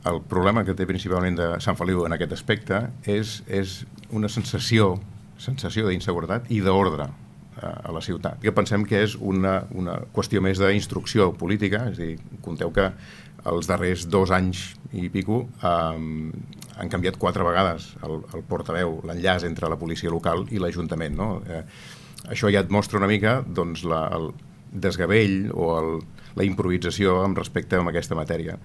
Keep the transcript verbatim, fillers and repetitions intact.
el problema que té principalment de Sant Feliu en aquest aspecte és, és una sensació, sensació d'inseguretat i d'ordre a la ciutat. Que pensem que és una, una qüestió més d'instrucció política, és a dir, compteu que els darrers dos anys i pico eh, han canviat quatre vegades el, el portaveu, l'enllaç entre la policia local i l'Ajuntament, no? Eh, això ja et mostra una mica doncs, la, el desgavell o el, la improvisació amb respecte a aquesta matèria.